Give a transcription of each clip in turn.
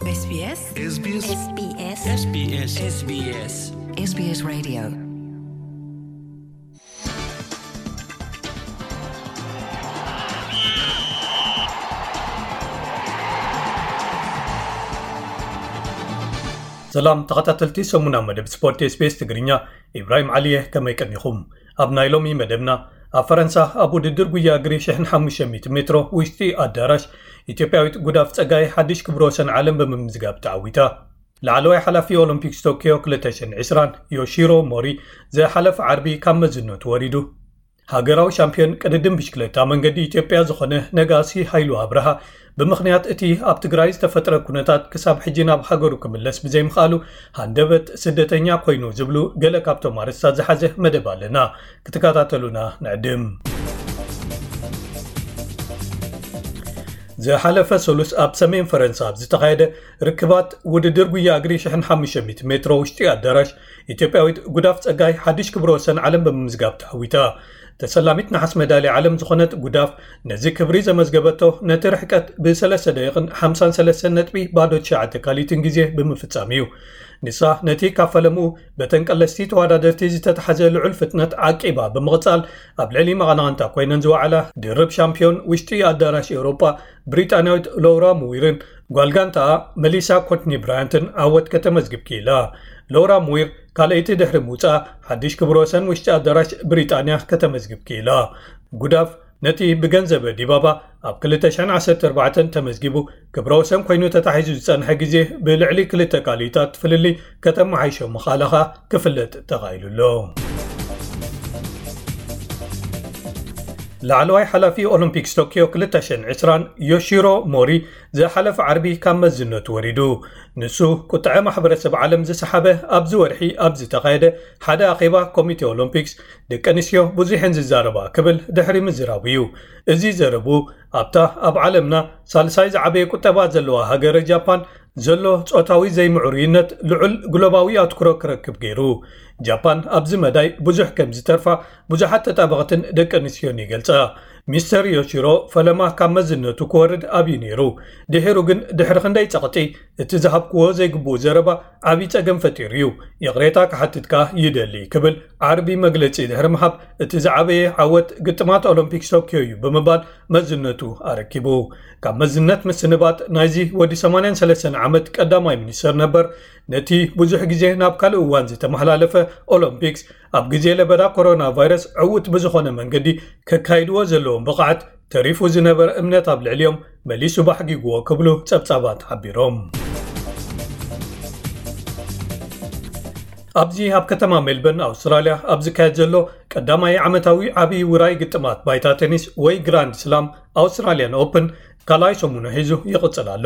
SBS SBS SBS SBS SBS Radio. ሰላም ተኸታተልቲ ሰሙና መደብ ስፖርት SBS ትግርኛ፣ ኢብራሂም ዓሊየ፣ ከመይ ቀኒኹም? ኣብ ናይ ሎሚ መደብና፣ ኣብ ፈረንሳ ኣብ ውድድር ጉያ እግሪ ሽሕን ሓሙሽተ ሚእቲ ሜትሮ ውሽጢ ኣዳራሽ፣ ኢትዮጵያዊት ጉዳፍ ጸጋይ ሓድሽ ክብረ ወሰን ዓለም ብምምዝጋብ ተዓዊታ። ላዕለዋይ ሓላፊ ኦሎምፒክስ ቶኪዮ ክልተ ሽሕን ዕስራን ዮሺሮ ሞሪ ዝሓለፈ ዓርቢ ካብ መዝነቱ ወሪዱ። ሃገራዊ ሻምፒዮን ቅድድም ብሽክለታ መንገዲ ኢትዮጵያ ዝኾነ ነጋሲ ሃይሉ ኣብርሃ፣ ብምኽንያት እቲ ኣብ ትግራይ ዝተፈጥረ ኩነታት ክሳብ ሕጂ ናብ ሃገሩ ክምለስ ብዘይምኽኣሉ ሃንደበት ስደተኛ ኮይኑ ዝብሉ ገለ ካብቶም ኣርእስታት ዝሓዘ መደብ ኣለና። ክትከታተሉና ንዕድም። ዝሓለፈ ሰሉስ ኣብ ሰሜን ፈረንሳ ኣብ ዝተኻየደ ርክባት ውድድር ጉያ እግሪ ሽሕን ሓሙሽተ ሚእቲ ሜትሮ ውሽጢ ኣዳራሽ፣ ኢትዮጵያዊት ጉዳፍ ጸጋይ ሓድሽ ክብረ ወሰን ዓለም ብምምዝጋብ ተዓዊታ። ተሰላሚት ነሓስ መዳልያ ዓለም ዝኾነት ጉዳፍ፣ ነዚ ክብሪ ዘመዝገበቶ ነቲ ርሕቀት ብሰለስተ ደቂቕን ሓምሳን ሰለስተን ነጥቢ ባዶ ትሽዓተ ካሊትን ግዜ ብምፍጻም እዩ። ንሳ ነቲ ካብ ፈለምኡ በተን ቀለስቲ ተወዳደርቲ ዝተታሕዘ ልዑል ፍጥነት ዓቂባ ብምቕጻል፣ ኣብ ልዕሊ መቐናቕንታ ኮይነን ዝወዓላ ድርብ ሻምፒዮን ውሽጢ ኣዳራሽ ኤውሮጳ ብሪጣንያዊት ሎውራ ሙዊርን ጓል ጋንታኣ መሊሳ ኮትኒ ብራያንትን ዓወት ከተመዝግብ ክኢላ። ሎውራ ሙዊር ካልኣይቲ ድሕሪ ምውጻኣ፣ ሓድሽ ክብረ ወሰን ውሽጢ ኣዳራሽ ብሪጣንያ ከተመዝግብ ክኢላ። ጉዳፍ ነቲ ብገንዘበ ዲባባ ኣብ ክልተ ሽሕን ዓሰርተ ኣርባዕተን ተመዝጊቡ ክብረ ወሰን ኮይኑ ተታሒዙ ዝጸንሐ ግዜ ብልዕሊ ክልተ ካልኢታት ፍልልይ ከተመሓይሾ ምኽኣላ ክፍለጥ ተኻኢሉ ኣሎ። ላዕለዋይ ሓላፊ ኦሎምፒክስ ቶኪዮ ክልተ ሽሕን ዕስራን ዮሺሮ ሞሪ ዝሓለፈ ዓርቢ ካብ መዝነቱ ወሪዱ። ንሱ ቁጥዐ ማሕበረሰብ ዓለም ዝሰሓበ ኣብዚ ወርሒ ኣብ ዝተኻየደ ሓደ ኣኼባ ኮሚቴ ኦሎምፒክስ፣ ደቂ ኣንስትዮ ብዙሕ እየን ዝዛረባ ክብል ድሕሪ ምዝራቡ እዩ። እዚ ዘረቡ ኣብታ ኣብ ዓለምና ሳልሳይ ዝዓበየ ቁጠባ ዘለዋ ሃገረ ጃፓን ዘሎ ጾታዊ ዘይምዕሩይነት ልዑል ግሎባዊ ኣትኩሮ ክረክብ ገይሩ። ጃፓን ኣብዚ መዳይ ብዙሕ ከም ዝተርፋ ብዙሓት ተጣበቕትን ደቂ ኣንስትዮን ይገልጻ። ሚስተር ዮሺሮ ፈለማ ካብ መዝነቱ ክወርድ ኣብዩ ነይሩ። ድሒሩ ግን ድሕሪ ክንደይ ጸቕጢ እቲ ዝሃብክዎ ዘይግብኡ ዘረባ ዓብዪ ጸገም ፈጢሩ እዩ። ይቕሬታ ክሓትት ከኣ ይደሊ ክብል ዓርቢ መግለጺ ድሕሪ ምሃብ፣ እቲ ዝዓበየ ዓወት ግጥማት ኦሎምፒክስ ቶኪዮ እዩ ብምባል መዝነቱ ኣረኪቡ። ካብ መዝነት ምስንባት ናይዚ ወዲ ሰማንያን ሰለስተን ዓመት ቀዳማይ ሚኒስተር ነበር፣ ነቲ ብዙሕ ግዜ ናብ ካልእ እዋን ዝተመሓላለፈ ኦሎምፒክስ ኣብ ግዜ ለበዳ ኮሮና ቫይረስ ዕዉት ብዝኾነ መንገዲ ከካይድዎ ዘለዎም ብቕዓት ተሪፉ ዝነበረ እምነት ኣብ ልዕሊኦም መሊሱ ባሕጊግዎ ክብሉ ጸብጻባት ሓቢሮም። ኣብዚ ኣብ ከተማ ሜልበርን ኣውስትራልያ ኣብ ዝካየድ ዘሎ ቀዳማይ ዓመታዊ ዓብዪ ውራይ ግጥማት ባይታ ቴኒስ ወይ ግራንድ ስላም ኣውስትራልያን ኦፕን ካልኣይ ሰሙኑ ሒዙ ይቕጽል ኣሎ።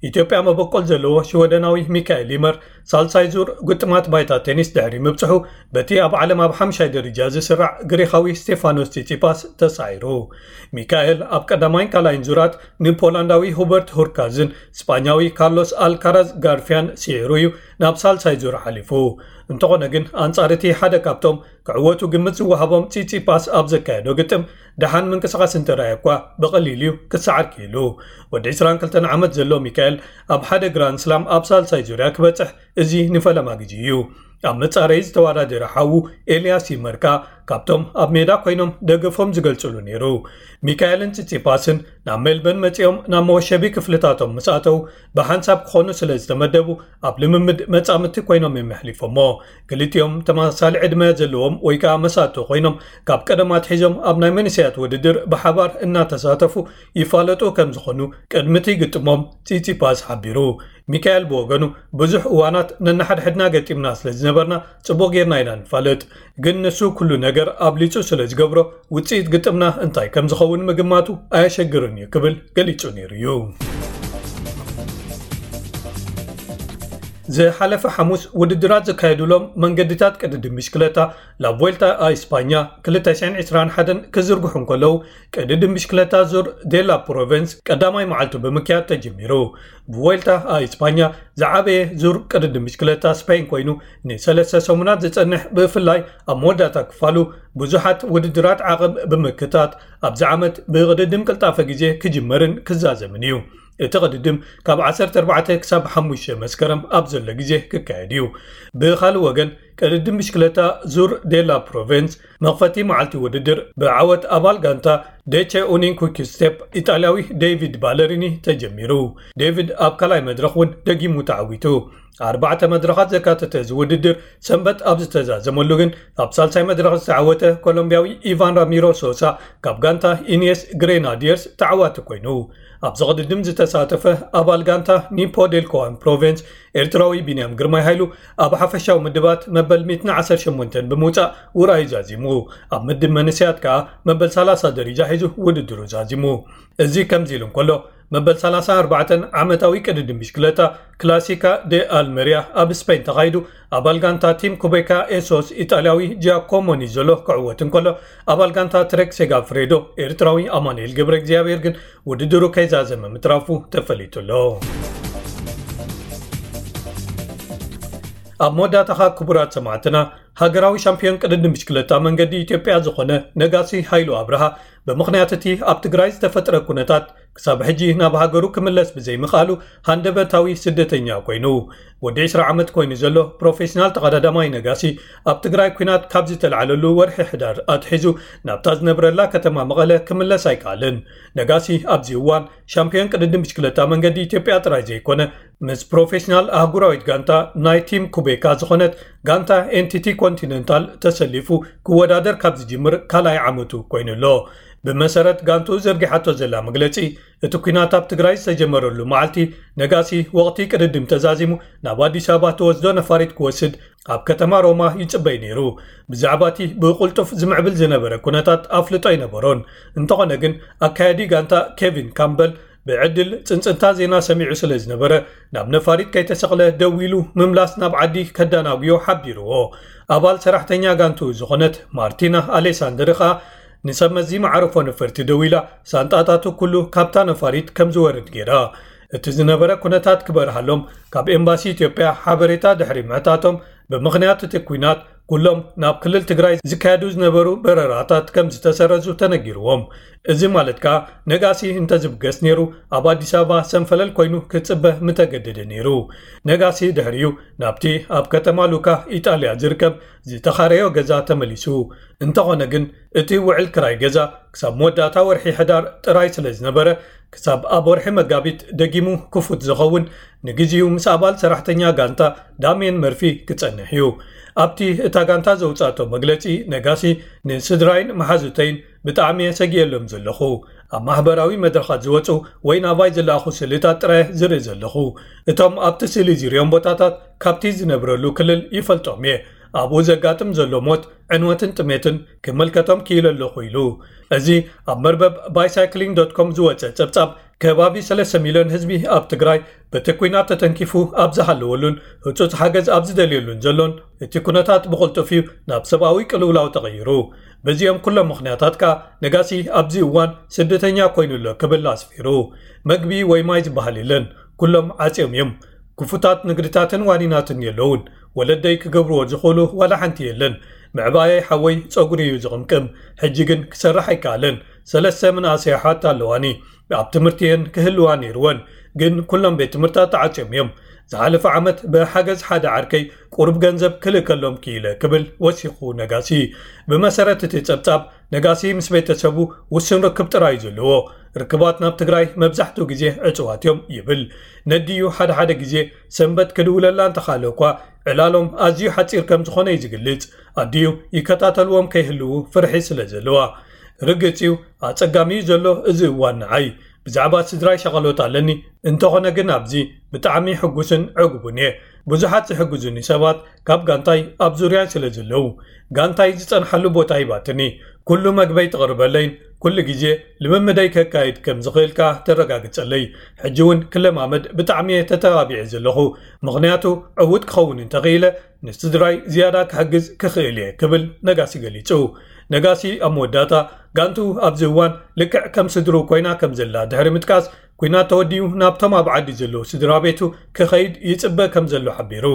ኢትዮጵያ መበቆል ዘለዎ ሽወደናዊ ሚካኤል ይመር ሳልሳይ ዙር ግጥማት ባይታ ቴኒስ ድሕሪ ምብጽሑ፣ በቲ ኣብ ዓለም ኣብ ሓምሻይ ደረጃ ዝስራዕ ግሪኻዊ ስቴፋኖስ ጺጺፓስ ተሳዒሩ። ሚካኤል ኣብ ቀዳማይን ካልኣይን ዙራት ንፖላንዳዊ ሁበርት ሁርካዝን ስጳኛዊ ካርሎስ ኣልካራዝ ጋርፊያን ስዒሩ እዩ ናብ ሳልሳይ ዙር ሓሊፉ። እንተኾነ ግን፣ ኣንጻር እቲ ሓደ ካብቶም ክዕወቱ ግምት ዝወሃቦም ጺጺፓስ ኣብ ዘካየዶ ግጥም፣ ደሓን ምንቅስቓስ እንተረኣየ እኳ፣ ብቐሊል እዩ ክሰዓር ክኢሉ። ወዲ ዕስራን ክልተን ዓመት ዘሎ ሚካኤል፣ ኣብ ሓደ ግራንድ ስላም ኣብ ሳልሳይ ዙርያ ክበጽሕ፣ እዚ ንፈለማ ግዜ እዩ። ኣብ መጻረዪ ዝተወዳደረ ሓዉ ኤልያስ ይመር ከኣ፣ ካብቶም ኣብ ሜዳ ኮይኖም ደገፎም ዝገልጽሉ ነይሩ። ሚካኤልን ጺጺፓስን ናብ ሜልበርን መጺኦም ናብ መወሸቢ ክፍልታቶም ምስ ኣተዉ፣ ብሓንሳብ ክኾኑ ስለ ዝተመደቡ፣ ኣብ ልምምድ መጻምድቲ ኮይኖም እዮም የሕሊፎሞ። ክልቲኦም ተመሳሳሊ ዕድመ ዘለዎም ወይ ከኣ መሳቶ ኮይኖም፣ ካብ ቀደም ኣትሒዞም ኣብ ናይ መንእሰያት ውድድር ብሓባር እናተሳተፉ ይፋለጡ ከም ዝኾኑ ቅድሚ እቲ ግጥሞም ጺጺፓስ ሓቢሩ። ሚካኤል ብወገኑ፣ ብዙሕ እዋናት ነንሓድሕድና ገጢምና ስለ ዝነበርና፣ ጽቡቕ ጌርና ኢና ንፋለጥ። ግን ንሱ ኩሉ ነገር ኣብሊጹ ስለ ዝገብሮ፣ ውጽኢት ግጥምና እንታይ ከም ዝኸውን ምግማቱ ኣየሸግርን እዩ ክብል ገሊጹ ነይሩ እዩ። ዝሓለፈ ሓሙስ ውድድራት ዝካየዱሎም መንገድታት ቅድድም ብሽክለታ ላቮልታ ኣ ኢስፓኛ ክልተ ሽሕን ዕስራን ሓደን ክዝርግሑ እንከለዉ፣ ቅድድም ብሽክለታ ዙር ዴላ ፕሮቨንስ ቀዳማይ መዓልቱ ብምክያድ ተጀሚሩ። ቡዌልታ ኣ ኢስፓኛ ዝዓበየ ዙር ቅድድም ብሽክለታ ስፔን ኮይኑ፣ ንሰለስተ ሰሙናት ዝጸንሕ፣ ብፍላይ ኣብ መወዳእታ ክፋሉ ብዙሓት ውድድራት ዓቐብ ብምክታት ኣብዚ ዓመት ብቕድድም ቅልጣፈ ግዜ ክጅመርን ክዛዘምን እዩ። እቲ ቅድድም ካብ ዓሰርተ ኣርባዕተ ክሳብ ሓሙሽተ መስከረም ኣብ ዘሎ ግዜ ክካየድ እዩ። ብኻልእ ወገን፣ ቅድድም ብሽክለታ ዙር ዴላ ፕሮቨንስ መኽፈቲ መዓልቲ ውድድር ብዓወት ኣባል ጋንታ ደቸ ኡኒን ኩክ ስቴፕ ኢጣልያዊ ዴቪድ ባለሪኒ ተጀሚሩ። ዴቪድ ኣብ ካልኣይ መድረኽ እውን ደጊሙ ተዓዊቱ። ኣርባዕተ መድረኻት ዘካተተ እዚ ውድድር ሰንበት ኣብ ዝተዛዘመሉ ግን፣ ኣብ ሳልሳይ መድረኽ ዝተዓወተ ኮሎምቢያዊ ኢቫን ራሚሮ ሶሳ ካብ ጋንታ ኢኒየስ ግሬናዲየርስ ተዓዋቲ ኮይኑ። ኣብዚ ቅድድም ዝተሳተፈ ኣባል ጋንታ ኒፖ ዴልኮዋን ፕሮቨንስ ኤርትራዊ ቢንያም ግርማይ ሃይሉ ኣብ ሓፈሻዊ ምድባት መበል ሚእትን ዓሰርተ ሸሞንተን ብምውጻእ ውራዩ ዛዚሙ። ኣብ ምድብ መንእሰያት ከኣ መበል ሰላሳ ደረጃ ሒዙ ውድድሩ ዛዚሙ። እዚ ከምዚ ኢሉ እንከሎ፣ መበል ሰላሳን ኣርባዕተን ዓመታዊ ቅድድም ብሽክለታ ክላሲካ ደ ኣልመሪያ ኣብ ስፔን ተኻይዱ፣ ኣባል ጋንታ ቲም ኩቤካ ኤሶስ ኢጣልያዊ ጂያኮሞ ኒዞሎ ክዕወት እንከሎ፣ ኣባል ጋንታ ትሬክ ሴጋፍሬዶ ኤርትራዊ ኣማኑኤል ገብረ እግዚኣብሔር ግን ውድድሩ ከይዛዘመ ምትራፉ ተፈሊጡ ኣሎ። ኣብ መወዳእታኻ ክቡራት ሰማዕትና፣ ሃገራዊ ሻምፒዮን ቅድድም ብሽክለታ መንገዲ ኢትዮጵያ ዝኾነ ነጋሲ ሃይሉ ኣብርሃ፣ ብምኽንያት እቲ ኣብ ትግራይ ዝተፈጥረ ኩነታት ክሳብ ሕጂ ናብ ሃገሩ ክምለስ ብዘይምኽኣሉ ሃንደበታዊ ስደተኛ ኮይኑ። ወዲ ዕስራ ዓመት ኮይኑ ዘሎ ፕሮፌሽናል ተቐዳዳማይ ነጋሲ፣ ኣብ ትግራይ ኲናት ካብ ዝተልዓለሉ ወርሒ ሕዳር ኣትሒዙ ናብታ ዝነብረላ ከተማ መቐለ ክምለስ ኣይከኣልን። ነጋሲ ኣብዚ እዋን ሻምፒዮን ቅድድም ብሽክለታ መንገዲ ኢትዮጵያ ጥራይ ዘይኮነ፣ ምስ ፕሮፌሽናል ኣህጉራዊት ጋንታ ናይ ቲም ኩቤካ ዝኾነት ጋንታ ኤንቲቲ ኮንቲነንታል ተሰሊፉ ክወዳደር ካብ ዝጅምር ካልኣይ ዓመቱ ኮይኑ ኣሎ። ብመሰረት ጋንቱ ዘርጊሓቶ ዘላ መግለጺ፣ እቲ ኲናት ኣብ ትግራይ ዝተጀመረሉ መዓልቲ ነጋሲ፣ ወቕቲ ቅድድም ተዛዚሙ ናብ ኣዲስ ኣበባ ተወስዶ ነፋሪት ክወስድ ኣብ ከተማ ሮማ ይጽበይ ነይሩ። ብዛዕባ እቲ ብቕልጡፍ ዝምዕብል ዝነበረ ኩነታት ኣፍልጦ ኣይነበሮን። እንተኾነ ግን፣ ኣካያዲ ጋንታ ኬቪን ካምበል ብዕድል ጽንጽንታ ዜና ሰሚዑ ስለ ዝነበረ፣ ናብ ነፋሪት ከይተሰቕለ ደው ኢሉ ምምላስ ናብ ዓዲ ከዳናጉዮ ሓቢርዎ። ኣባል ሰራሕተኛ ጋንቱ ዝኾነት ማርቲና ኣሌሳንደር ኸኣ ንሰብ መዚ መዓርፎ ነፈርቲ ደው ኢላ፣ ሳንጣታቱ ኩሉ ካብታ ነፋሪት ከም ዝወርድ ገይራ። እቲ ዝነበረ ኩነታት ክበርሃሎም ካብ ኤምባሲ ኢትዮጵያ ሓበሬታ ድሕሪ ምሕታቶም፣ ብምኽንያት እቲ ኲናት ኩሎም ናብ ክልል ትግራይ ዝካየዱ ዝነበሩ በረራታት ከም ዝተሰረዙ ተነጊርዎም። እዚ ማለት ከኣ፣ ነጋሲ እንተዝብገስ ነይሩ፣ ኣብ ኣዲስ ኣበባ ሰንፈለል ኮይኑ ክጽበ ምተገደደ ነይሩ። ነጋሲ ድሕሪኡ ናብቲ ኣብ ከተማ ሉካ ኢጣልያ ዝርከብ ዝተኻረዮ ገዛ ተመሊሱ። እንተኾነ ግን፣ እቲ ውዕል ክራይ ገዛ ክሳብ መወዳእታ ወርሒ ሕዳር ጥራይ ስለ ዝነበረ፣ ክሳብ ኣብ ወርሒ መጋቢት ደጊሙ ክፉት ዝኸውን፣ ንግዜኡ ምስ ኣባል ሰራሕተኛ ጋንታ ዳሜን መርፊ ክጸንሕ እዩ። ኣብቲ እታ ጋንታ ዘውጻእቶ መግለጺ፣ ነጋሲ፣ "ንስድራይን መሓዙተይን ብጣዕሚ እየ ሰጊኤሎም ዘለኹ። ኣብ ማሕበራዊ መድረኻት ዝወጹ ወይ ናባይ ዝለኣኹ ስእልታት ጥራይ ዝርኢ ዘለኹ። እቶም ኣብቲ ስእሊ ዝርእዮም ቦታታት ካብቲ ዝነብረሉ ክልል ይፈልጦም እየ። ኣብኡ ዘጋጥም ዘሎ ሞት፣ ዕንወትን ጥሜትን ክመልከቶም ክኢለ ኣለኹ" ኢሉ። እዚ ኣብ መርበብ ባይሳይክሊንግ ዶት ኮም ዝወጸ ጸብጻብ፣ ከባቢ ሰለስተ ሚልዮን ህዝቢ ኣብ ትግራይ በቲ ኲናት ተተንኪፉ ኣብ ዝሃለወሉን ህጹጽ ሓገዝ ኣብ ዝደልየሉን ዘሎን፣ እቲ ኩነታት ብቕልጡፍ እዩ ናብ ሰብኣዊ ቅልውላው ተቐይሩ። በዚኦም ኩሎም ምኽንያታት ከኣ ነጋሲ ኣብዚ እዋን ስደተኛ ኮይኑ ኣሎ ክብል ኣስፊሩ። መግቢ ወይ ማይ ዝበሃል የለን፣ ኩሎም ዓጽዮም እዮም። ክፉታት ንግድታትን ዋኒናትን የለውን። ወለደይ ክገብርዎ ዝኽእሉ ዋላ ሓንቲ የለን። ምዕባየይ ሓወይ ጸጉሪ እዩ ዝቕምቅም። ሕጂ ግን ክሰርሕ ኣይከኣለን። ሰለስተ መናእሰይ ኣሕዋት ኣለዋኒ። ኣብ ትምህርቲ እየን ክህልዋ ነይርወን፣ ግን ኩሎም ቤት ትምህርታት ተዓጽዮም እዮም። ዝሓለፈ ዓመት ብሓገዝ ሓደ ዓርከይ ቁሩብ ገንዘብ ክልእከሎም ክኢለ ክብል ወሲኹ ነጋሲ። ብመሰረት እቲ ጸብጻብ፣ ነጋሲ ምስ ቤተሰቡ ውሱን ርክብ ጥራይ እዩ ዘለዎ። ርክባት ናብ ትግራይ መብዛሕትኡ ግዜ ዕጹዋት እዮም ይብል። ነዲኡ ሓደ ሓደ ግዜ ሰንበት ክድውለላ እንተኻለ እኳ፣ ዕላሎም ኣዝዩ ሓጺር ከም ዝኾነ እዩ ዝገልጽ። ኣዲኡ ይከታተልዎም ከይህልዉ ፍርሒ ስለ ዘለዋ። ርግጽ እዩ፣ ኣጸጋሚ እዩ ዘሎ እዚ እዋን ንዓይ። ብዛዕባ ስድራይ ሸቐሎት ኣለኒ፣ እንተኾነ ግን ኣብዚ ብጣዕሚ ሕጉስን ዕጉብን እየ። ብዙሓት ዝሕግዙኒ ሰባት ካብ ጋንታይ ኣብ ዙርያይ ስለ ዘለዉ፣ ጋንታይ ዝጸንሓሉ ቦታ ሂባትኒ። ኩሉ መግበይ ትቕርበለይን ኩሉ ግዜ ልምምደይ ከካይድ ከም ዝኽእል ከኣ ተረጋግጸለይ። ሕጂ እውን ክለማመድ ብጣዕሚ እየ ተተባቢዐ ዘለኹ፣ ምኽንያቱ ዕዉት ክኸውን እንተኽኢለ፣ ንስድራይ ዝያዳ ክሕግዝ ክኽእል እየ ክብል ነጋሲ ገሊጹ። ነጋሲ ኣብ መወዳእታ፣ ጋንቱ ኣብዚ እዋን ልክዕ ከም ስድሩ ኮይና ከም ዘላ ድሕሪ ምጥቃስ፣ ኲናት ተወዲኡ ናብቶም ኣብ ዓዲ ዘለዉ ስድራ ቤቱ ክኸይድ ይጽበ ከም ዘሎ ሓቢሩ።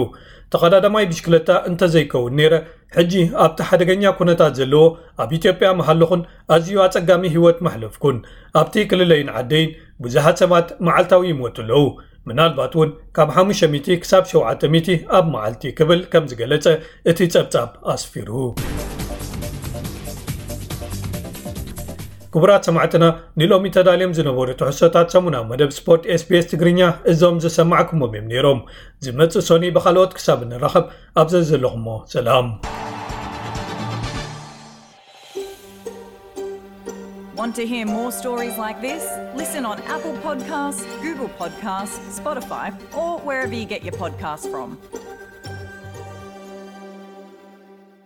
ተቐዳዳማይ ብሽክለታ እንተዘይከውን ነይረ፣ ሕጂ ኣብቲ ሓደገኛ ኩነታት ዘለዎ ኣብ ኢትዮጵያ ምሃለኹን ኣዝዩ ኣጸጋሚ ህይወት ማሕለፍኩን። ኣብቲ ክልለይን ዓደይን ብዙሓት ሰባት መዓልታዊ ይሞቱ ኣለዉ። ምናልባት እውን ካብ ሓሙሽተ ሚእቲ ክሳብ ሸውዓተ ሚእቲ ኣብ መዓልቲ ክብል ከም ዝገለጸ እቲ ጸብጻብ ኣስፊሩ። ክቡራት ሰማዕትና፣ ንሎሚ ተዳልዮም ዝነበሩ ትሕዝቶታት ሰሙናዊ መደብ ስፖርት SBS ትግርኛ እዞም ዝሰማዕኩሞም እዮም ነይሮም። ዝመጽእ ሶኒ ብኻልኦት ክሳብ እንራኸብ ኣብ ዘዘለኹሞ ሰላም። Want to hear more stories like this? Listen on Apple Podcasts, Google Podcasts, Spotify, or wherever you get your podcasts from.